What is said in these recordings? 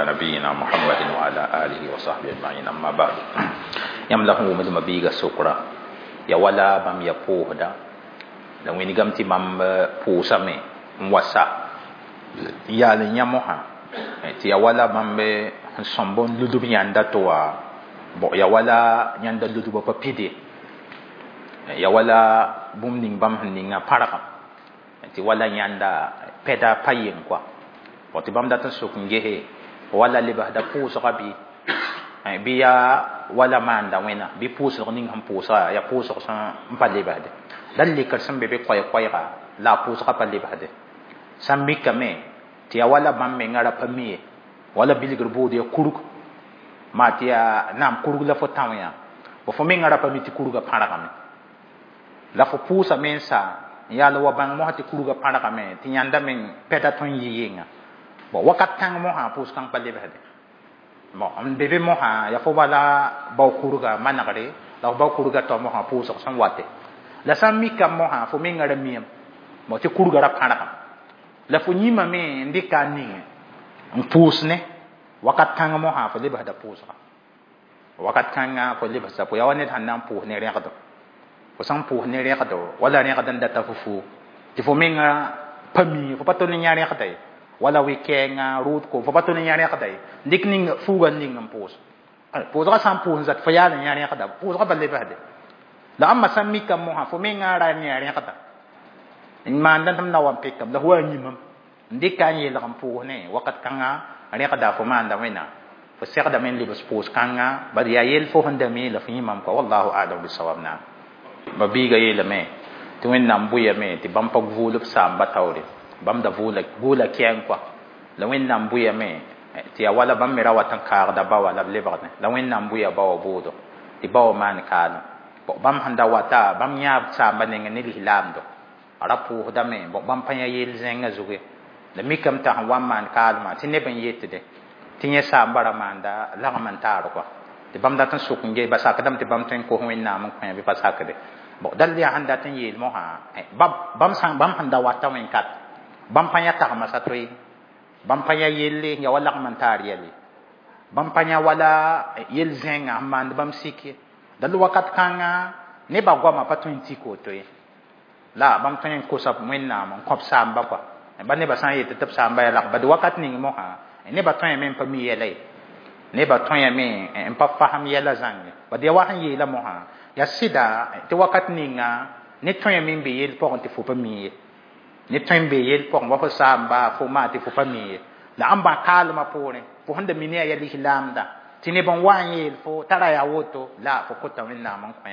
نبينا محمد وعلى آله وصحبه أجمعين أما بعد. Yãmb la sẽn wʋmd ma-biiga sokra ya wala bãmb ya pʋʋsda la wĩnigame tɩ bãmb pʋʋsame n wa sa n yaal n yã mosã tɩ ya wala bãmb sẽn sõmb n ludb yãnda tɩ wa bõ ya wala yãnda ludbã pa pid ye, ya wala bũmb ning bãmb sẽn ninga pãrgem tɩ wala yãnda pɛda pa yeng kɔa bõ tɩ bãmb dat n sok n gese wala lebsda pʋʋsga bɩ yaa wala maanda wẽna bɩ pʋʋsg ning sẽn pʋʋsga yaa pʋʋsg sẽn pa lebsde la lekr sẽn be be koɛɛ-koɛɛga la a pʋʋsga pa lebsde sã n mikame tɩ yaa wala bãmb menga ra pa mi ye wala bilgr bood ya kurg maa tɩ yaa naam kurg la fo tão yã bõ fo menga ra pa mi tɩ kurgã pãrgame la fo pʋʋsame n sa n yaal wa bãng mosã tɩ kurgã pãrgame tɩ yãnda meng pɛda tõe n yɩ yenga bon wakat kãng mosã pʋʋs kãng pa lebsde bon n be be mosã yaa fo bala bao kurga manegre la fo bao kurga tao mosã pʋʋsg sẽn wate la sã n mikame mosã fo menga ra miame bon tɩ kurga ra pãrgame la fo yĩmame n dɩka a ning n pʋʋs ne wakat kãng mosã fo lebsda pʋʋsga wakat kãnga fo lebsda pʋ yaa wa ned sẽn na n pʋʋs ne rẽgdo fo sãn pʋʋs ne rẽgdo wala rẽgd n data fo fuug tɩ fo menga pa mi fo pa tol n yã rẽgda ye wala wɩ-kɛɛngã rʋʋd ko fo pa tol n yã rẽgda ye dɩk ning fuugã ning n pʋʋs pʋʋsgã sã n pʋʋs n zat fo yaal n yã rẽgda pʋʋsgã pa lebsde la ãmba sã n mikame mosã fo menga ra n yã rẽgda n maanda tɩ m na wa n pekame la fo wa n yĩmam n dɩka n yeelg n pʋʋs ne wakat kãnga rẽgda fo maanda wẽnnaam fo segdame n lebs pʋʋs kãnga bad yaa yell fo sẽn da mi la fo yĩmam kɔa wallahu alam bisawab. Naam, ba biiga yeelame tɩ Wẽnnaam bʋyame tɩ bãmb pa vʋʋl b saamba taoore bãmb da vʋʋla kɛɛng kɔa la Wẽnnaam bʋyame tɩ yaa wala bãmb me ra wat n kaagda ba wã la b lebgdẽ la Wẽnnaam bʋya ba wã bʋʋdo tɩ ba wã maan kaalem bãmb sẽn da wata bãmb yãa b saamba nengẽ ne lislaamdo a ra pʋʋsdame bãmb pa yã yell zẽngã zugu la mikame t'a sẽn wa n maan kaalmã tɩ neb n yetde tɩ yẽ saamba ra maanda lagm n taar kɔa tɩ bãmb dat n sʋk n ge ba sakdame tɩ bãmb tõe n kos Wẽnnaam n kõ bɩ pa sakde bon dal yaa sẽn dat n yeel mosã bãmb sẽn da wata wẽn-kat bãmb pa yã tagma sa to ye bãmb pa yã yelle ya wa lagm n taar yɛle bãmb pa yã wala yel zẽngã sẽn maand bãmb sik ye dal wakat kãnga nebã goamã pa tõe n tik woto ye la bãmb tõe n kosa Wẽnnaam n kõb saamba kɔa ba nebã sã n yet tɩ b saamba yaa lag bad wakat ning mosã nebã tõeme n pa mi yɛla ye nebã tõeme n pa fasem yɛla zãnge bad yaa wa sẽn yeela mosã yaa sɩda tɩ wakat ninga ne tõeme n be yell pʋgẽ tɩ fo pa mi ye ne tõe n be yell pʋgẽ wa fo saamba fo maa tɩ fo pa mi ye la ãmba kaalmã poorẽ fo sẽn da mi ne yaa yaa lislaamda tɩ neb n wa n yeel fo tara yaa woto la fo kota Wẽnnaam n kõ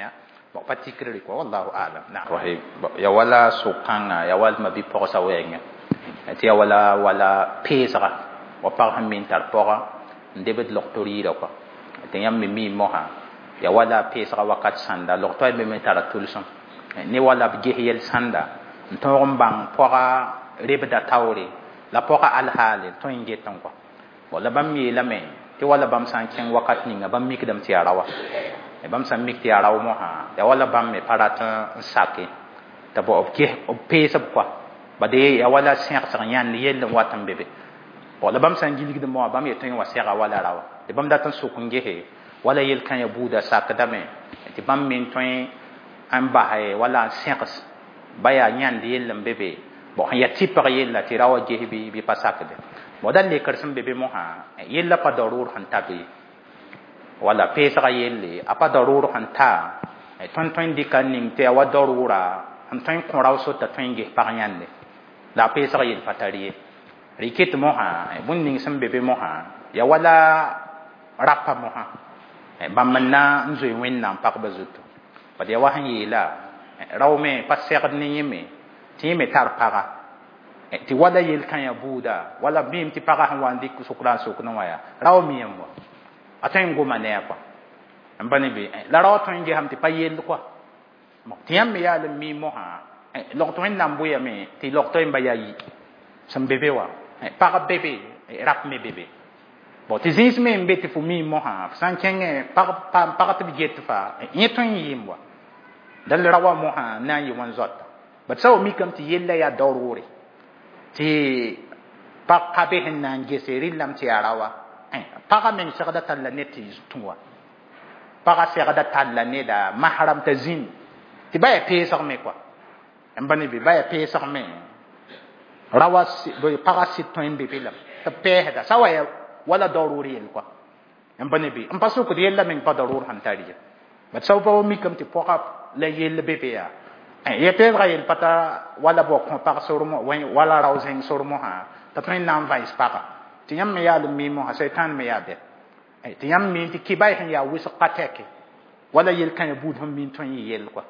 bon pa tikre kɔa wallahu alam. Naam rahim ya wala so-kãngã ya wal ma bi-pɔgsa wɛɛngẽ tɩ ya wala wala peesga wa pag sẽn mi n tar pɔga n debd logto rɩɩra kɔa tɩ yãmb me mi mosã ya wala peesga wakat sãnda logto a me tara tʋlsem ne wala b ges yɛl sãnda n tõog n bãng pɔga rebda taoore la pɔga alhaale tõe n get n kɔa bon la bãmb yeelame tɩ wala bãmb sã n kẽng wakat ninga bãmb mikdame tɩ yaa raowa bãmb sã n mik tɩ yaa rao mosã ya wala bãmb me pa rat n sake t'a b ges b peesb kɔa bade ya wala sẽgsg yãnd yell n wat n be be bon la bãmb sã n gilgd moa bãmb yetõ wa sɛga wala raowa tɩ bãmb dat n sʋk n gese wala yel-kã ya buuda sakdame tɩ bãmb me tõe n bas wala n sẽgs ba yaa yãnd yell n be be bon sẽn yaa tɩpg yella tɩ ra wa ges bɩ pa sakde bon da lekr sẽn be be mosã yella pa daroor sẽn ta be wala peesga yelle a pa daroor sẽn ta tõnd tõe n dɩka n ning tɩ yaa wa daroora n tõe n kõ rao sota tõe n ges pag yãnde la a peesg yell pa tar ye rɩ ket mosã bũmb ning sẽn be be mosã yaa wala rapa mosã bãmb n na n zoe Wẽnnaam pagba zuto bad yaa wa sẽn yeela rao me pa segd ne yẽ me tɩ yẽ me tar paga tɩ wala yel-kã ya buuda wala miime tɩ pagã sẽn wa n dɩk sʋkra n sokd wã yaa rao miyame wa a tõe n goma ne a kɔa n pa ne be la rao tõe n gesame tɩ pa yell kɔa tɩ yãmb me yaal n mi mosã logт Wẽnnaam bʋyame tɩ logto yẽmba yaa yi sẽn be be wã pag be be rap me be be bon tɩ zĩis me n be tɩ fo mi mosã f sã n kẽngẽ pag tɩ b get fa yẽ tõe n yɩɩm wa dal ra wa mosã na n yɩ wãn zoata bad sã wa mikame tɩ yella yaa daroore tɩ pag ka be sẽn na n gese rɩllame tɩ yaa raowa. Paga meng segda tall la ned tɩ tũ wa paga segda tall la neda mahram t'a zĩnd tɩ ba yaa peesg me kɔa n ba ne bɩ ba yaa peesg me rawa paga sɩd tõe n be be lame tɩ b pɛɛsda sa wa yaa wala daroor yell kɔa n pa ne bɩ n pa sokd yella meng pa daroor sẽn tar ye bat sao pa wa mikame tɩ pɔga la yell be be yaa ya peesga yell pa ta wala bao kõ pag sormo wala rao zẽng sor mosã t'a tõe n na n vãens paga tɩ yãmb me yaa l mi mosã seitan me yaa bɛ tɩ yãmb mi tɩ kɩba sẽn yaa wʋsg ka tɛke wala yel-kãyã buud sẽn mi n tõe n yɩ yell kɔa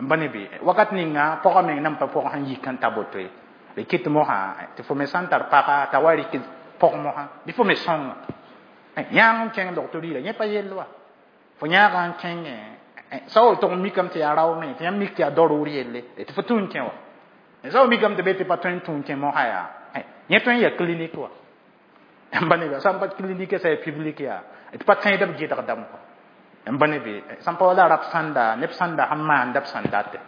n pa ne bɩ wakat ninga pɔgã meng nan pa pɔg sẽn yik n ta boto ye d kɩt mosã tɩ fo me sã n tar paga t'a wa rɩk pɔg mosã bɩ fo me sõnga yãag n kẽng logto rɩɩra yẽ pa yell wa fo yãaga n kẽngẽ sa wa tʋg n mikame tɩ yaa rao me tɩ yãmb mik tɩ yaa daroor yelle tɩ fo tũ n kẽ wa sa wa mikame tɩ be tɩ pa tõe n tũ n kẽ mosã yaa yẽ tõe n yaa clinique wa n pa ne bɩ sã n pa clinique sa yaa public yaa tɩ pa tẽedb gɩdgdame kɔa n pa ne bɩ sã n pa wala rab sãnda neb sãnda sẽn maanda b sẽn date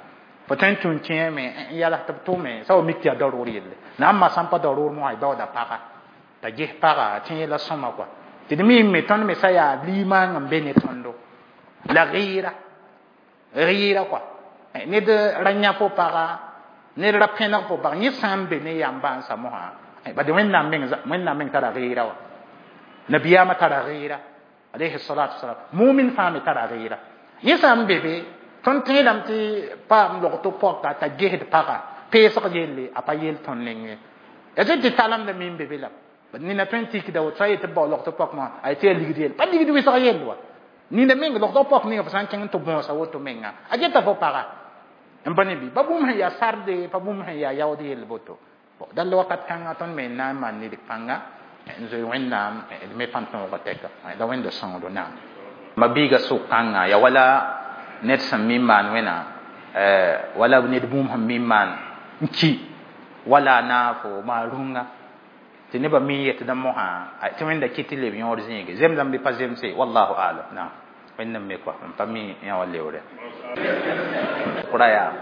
fo tõe n tũ n kẽeme n yals tɩ b tʋme sa wa mik tɩ yaa daroor yelle na n ma sã n pa daroor mosã y baooda paga t'a ges paga tẽ yɛla sõma kɔa tɩ d miime tõnd me sã yaa limaang n be ne tõndo la rɩɩra rɩɩra kɔa ned ra yã fo paga ned ra pẽneg fo paga yẽ sã n be ne yam-bãnsã mosã bad wẽnnaam meng tara rɩɩra wa nabiyaamã tara rɩɩra alayhi salatu wasalam mumin fãa me tara rɩɩra yẽ sã n be be tõnd tẽedame tɩ paam logto pɔka t'a gesd paga peesg yelle a pa yel tõnd neng ye ya tɩ tɩ talemda me n be be lame nina tõe n tikda woto sã n yet tɩ bao logto pɔk mosã a tɩ yaa ligd yelle pa ligd wɩsg yell wa nina meng logto pɔk ninga fo sã n kẽng tɩ bõosa woto menga a geta fo paga n pa ne bɩ pa bũmb sẽn yaa sarde pa bũmb sẽn yaa yaood yell boto dall wakat kãnga tõnd me n na n maan ned pãnga n zoe wẽnnaam d me pãn tõoga tɛka la wẽnda sõngdo naam ma-biiga sʋk kãnga ya wala ned sẽn mi n maan wẽna wala ned bũmb sẽn mi n maan n ki wala a naafo maa rũngã tɩ nebã mi n yetdã mosã tɩ wẽnda kɩ tɩ leb yõod zĩige zemsame bɩ pa zemse wallahu alam naam wẽnd n me kɔa n pa mi yã wa leoore kʋra yaa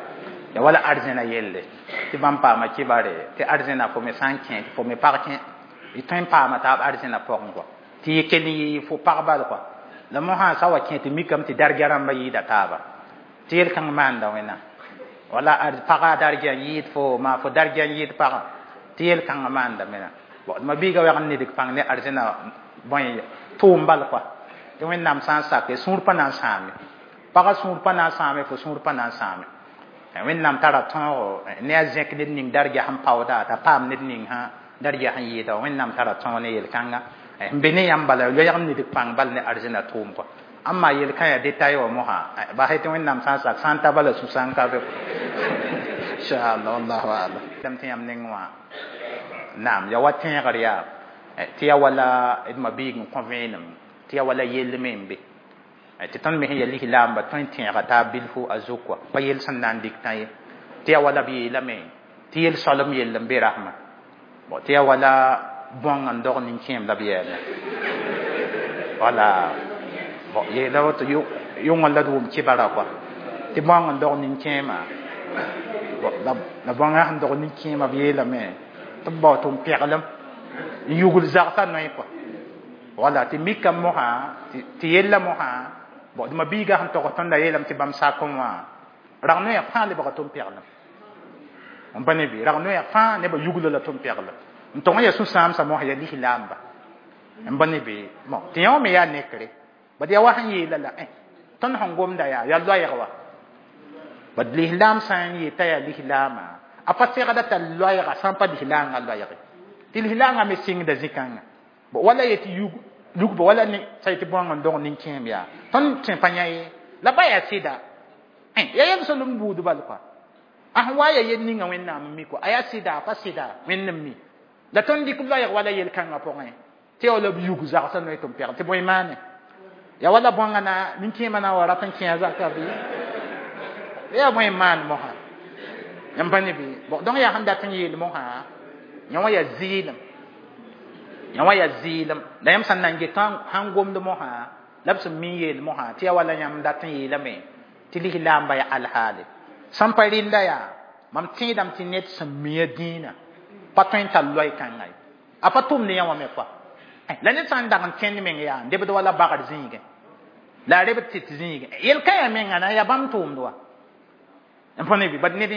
ya wala arzẽna yelle tɩ bãmb paama kibare tɩ arzẽna fo me sã n kẽ tɩ fo me pag kẽ y tõe n paama taab arzẽna pɔgẽ kɔa tɩ y kell n yɩ fo pag bal kɔa la mosã sa wa kẽ tɩ mikame tɩ darga rãmbã yɩɩda taaba tɩ yel-kãng maanda wẽna wala paga darga n yɩɩd fo maa fo darga n yɩɩd pagã tɩ yel-kãngã maanda mena ma biiga wɛg n nedg pãng ne arzẽna bõe tʋʋm bal kɔa tɩ wẽnnaam sã n sake sũur pa na n sãame pagã sũur pa na n sãame fo sũur pa na n sãame wẽnnaam tara tõogo ne a zẽk ned ning darga sẽn paooda t'a paam ned ning sã darga sẽn yɩɩda wẽnnaam tara tõog ne yel-kãnga n be ne yãmb bala loɛg n nedg pãng bal ne arzẽna tʋʋm kɔa amma yel-kã yaa detail wã mosã basɛ tɩ wẽnnaam sã n sak sã n ta bala sũ-sãn ka be inchallah wallahu alam dam tɩ yãmb neng wã naam ya wa tẽegr yaa tɩ ya wala d ma-biig n kõ vẽenem tɩ ya wala yell me n be tɩ tõnd me sẽn ya lislaamba tõe n tẽega taab bilfu a zuk wa pa yell sẽn na n dɩk tã ye tɩ ya wala b yeelame tɩ yel soalem yell n be rasmã bon tɩ ya wala bõng n dog nin-kẽem la b yɛɛme wala bon yeela woto yʋngã la d wʋm kibara kɔa tɩ bõng n dog nin-kẽemã la bõngã sẽn dog nin-kẽemã b yeelame tɩ b bao tɩ n pɛglem n yugl zagsã noe kɔa wala tɩ mikame mosã tɩ yella mosã bon d ma-biigã sẽn togs tõnda yeelame tɩ bãmb sakẽ wã rag noyã fãa lebga tɩ n pɛglem n pa ne bɩ rag noyã fãa nebã yugla la tɩ n pɛglem n tog n yaa sũ-sãamsã mosã yaa lislaamba n pa ne bɩ bon tɩ yã wã me yaa nekre bad yaa wa sẽn yeela la tõnd sẽn gomda yaa yaa loɛɛg wa bad lislaam sã n yeta yaa lislaamã a pa segda t'a loɛɛga sã n pa lislaangã loɛɛge tɩ lislaangã me sɩngda zĩ-kãngã wala yetɩ lugba wala ne sa yetɩ bõang n dog nin-kẽem yaa tõnd tẽ pa yã ye la ba yaa sɩda ya yel solem buud bal kɔa a sẽn wa ya yel ninga wẽnnaam n mi kɔa a yaa sɩda a pa sɩda wẽnd n mi la tõnd dɩk loɛɛg wala yel-kãngã pʋgẽ tɩ ya wala b yug zagsã noe tɩ n pɛgl tɩ bõe maane ya wala bõangã na nin-kẽemã na n wa rat n kẽ a zaka bɩ yaa bõe n maan mosã n pa ne bɩ bon donc yaa sẽn dat n yeel mosã yã wã yaa zɩɩlem yã wã yaa zɩɩlem la yãmb sẽn na n get sãn gomd mosã la b sẽn mi n yeel mosã tɩ yaa wala yãmb dat n yeelame tɩ lislaamba yaa alhaale sẽn pa rɩnda yaa mam tẽedame tɩ ned sẽn mi a dĩinã pa tõe n tar loɛɛ kãngã ye a pa tʋmd yã wã me kɔa La ned sã n dag n kẽnd meng yaa n debd wala bagr zĩigẽ la a rebd tɩt zĩigẽ yel kãyã menga na yaa bãmb tʋʋmd wa n pa ne bɩ bad ned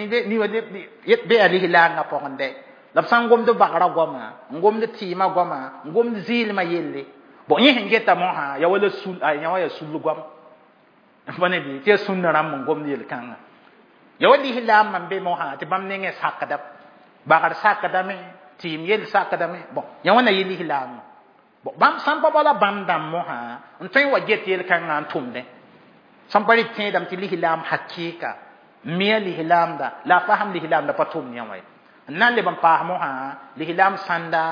be yaa lislaangã pʋgẽ dɛ la b sã n gomd bagrã goama n gomd tɩɩmã goama n gomd zɩɩlmã yelle bon yẽ sẽn geta mosã ya wala sul yã wa yaa sul goam n pa ne bɩ tɩ yaa sũnna rãmb n gomd yel-kãngã ya wa lislaam n be mosã tɩ bãmb nengẽ sakda bagr sakdame tɩɩm yell sakdame bon yã wã na yɩ lislaamã bon bãmb sãn pa bala bãmb dãmb mosã n tõe n wa get yel-kãngã n tʋmdẽ sãn pa rɩ tẽedame tɩ lislaam hakɩɩka mia lislaamda la a fasem lislaamda pa tʋmd yã wã ye n na n leb n paas mosã lislaam sãnda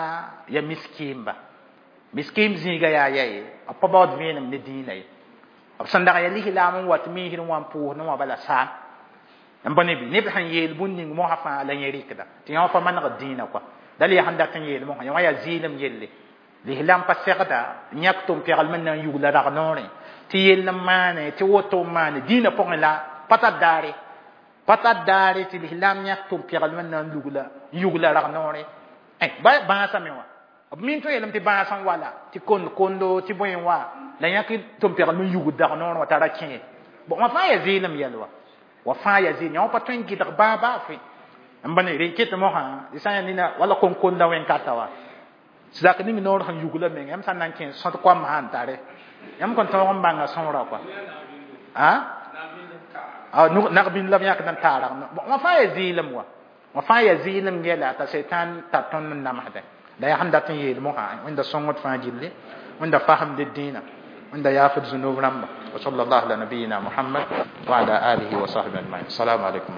ya miskiimba miskiim zĩiga yaa ya ye b pa baood vẽenem ne dĩinã ye b sẽn dag yaa lislaam n wat miisd n wa n pʋʋsdẽ wã bala saam n pa ne bɩ neb sẽn yeel bũn ning mosã fãa la yẽ rɩkda tɩ yã wã pa manegd dĩinã kɔa dal yaa sẽn dat n yeel mosã yã wã yaa zɩɩlem yelle lislaam pa segda n yãk tʋm-pɛglem n na n yugla rag noorẽ tɩ yell n maane tɩ woto n maane dĩinã pʋgẽ la pa tar daare pa tar daare tɩ lislaam yãk tʋm-pɛglem n na n lugla n yugla rag noorẽ ba bãasame wã b min tõe yeelame tɩ bãas n wala tɩ kond kondo tɩ bõe n wa la yãk tʋm-pɛglem n yugd dag noorẽ wã t'a ra kẽ bon wã fãa yaa zɩɩlem yɛl wa wa fãa yaa zɩɩlem yã wã pa tõe n gɩdg bãa baa fɩ n ba ne rẽ ket mosã tɩ sã n yaa nina wala kom-konda wẽn-kata wa zak ning noor sẽn yugla meng yãmb sã n na n kẽ sõd koam sã n tare yãmb kõn tõog n bãnga sõora kɔa a nag-bĩnd la b yãkd n taarg wã fãa yaa zɩɩlem wa wã fãa yaa zɩɩlem yɛla t'a seitan tar tõnd n namsdẽ la yaa sẽn dat n yeel mosã wẽnda sõngd fãa gilli wẽnda fasemd dĩinã wẽnda yaafd zunub rãmba wa sal allah ala nabiyina muhammad wa ala alihi wa sahbihi ajmain. Assalamu alaikum.